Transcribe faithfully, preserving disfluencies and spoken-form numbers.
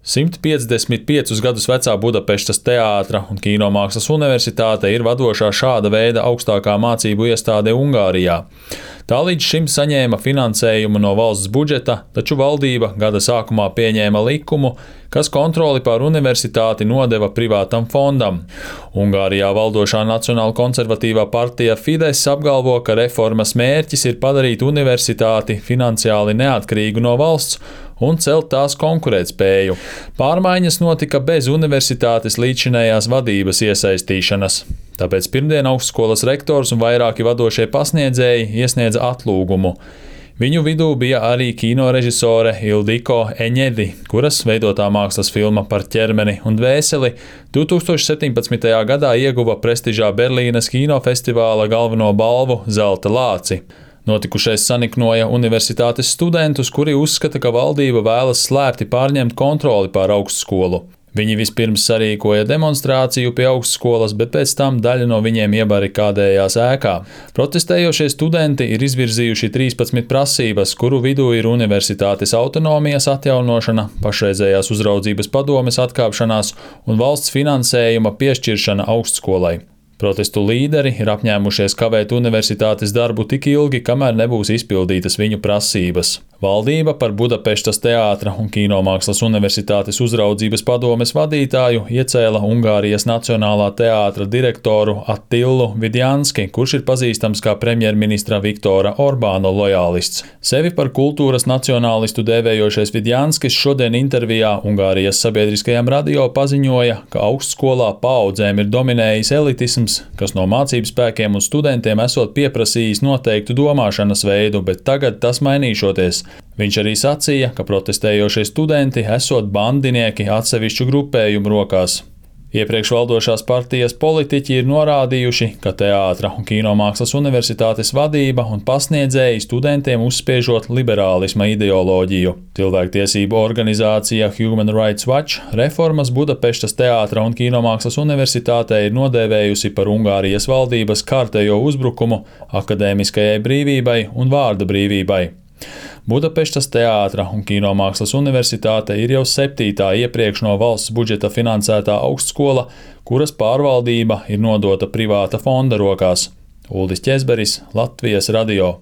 simt piecdesmit piecus gadus vecā Budapestas Teātra un Kīnomākslas universitāte ir vadošā šāda veida augstākā mācību iestāde Ungārijā. Tā līdz šim saņēma finansējumu no valsts budžeta, taču valdība gada sākumā pieņēma likumu, kas kontroli pār universitāti nodeva privātam fondam. Ungārijā valdošā Nacionāla konservatīvā partija Fidesz apgalvo, ka reformas mērķis ir padarīt universitāti finansiāli neatkarīgu no valsts un celt tās konkurētspēju. Pārmaiņas notika bez universitātes līdzinējās vadības iesaistīšanas. Tāpēc pirmdien augstskolas rektors un vairāki vadošie pasniedzēji iesniedza atlūgumu. Viņu vidū bija arī kinorežisore Ildiko Eņedi, kuras veidotā mākslas filma par ķermeni un dvēseli divi tūkstoši septiņpadsmitajā gadā ieguva prestižā Berlīnes kinofestivāla galveno balvu Zelta lāci. Notikušais saniknoja universitātes studentus, kuri uzskata, ka valdība vēlas slēpti pārņemt kontroli pār augstskolu. Viņi vispirms sarīkoja demonstrāciju pie augstskolas, bet pēc tam daļa no viņiem iebarikādējās ēkā. Protestējošie studenti ir izvirzījuši trīspadsmit prasības, kuru vidū ir universitātes autonomijas atjaunošana, pašreizējās uzraudzības padomes atkāpšanās un valsts finansējuma piešķiršana augstskolai. Protestu līderi ir apņēmušies kavēt universitātes darbu tik ilgi, kamēr nebūs izpildītas viņu prasības. Valdība par Budapestas Teātra un Kīnomākslas universitātes uzraudzības padomes vadītāju iecēla Ungārijas Nacionālā teātra direktoru Attilu Vidjanski, kurš ir pazīstams kā premjerministra Viktora Orbāna lojālists. Sevi par kultūras nacionālistu dēvējošais Vidjanskis šodien intervijā Ungārijas sabiedriskajam radio paziņoja, ka augstskolā paaudzēm ir dominējis elitisms, kas no mācību spēkiem un studentiem esot pieprasījis noteiktu domāšanas veidu, bet tagad tas mainīšoties. Viņš arī sacīja, ka protestējošie studenti esot bandinieki atsevišķu grupējumu rokās. Iepriekš valdošās partijas politiķi ir norādījuši, ka Teātra un Kīnomākslas universitātes vadība un pasniedzēji studentiem uzspiežot liberālisma ideoloģiju. Cilvēktiesību organizācija Human Rights Watch reformas Budapestas Teātra un Kīnomākslas universitātē ir nodēvējusi par Ungārijas valdības kārtējo uzbrukumu akadēmiskajai brīvībai un vārda brīvībai. Budapestas Teātra un Kīnomākslas universitāte ir jau septītā iepriekš no valsts budžeta finansētā augstskola, kuras pārvaldība ir nodota privāta fonda rokās. Uldis Ķezberis, Latvijas radio.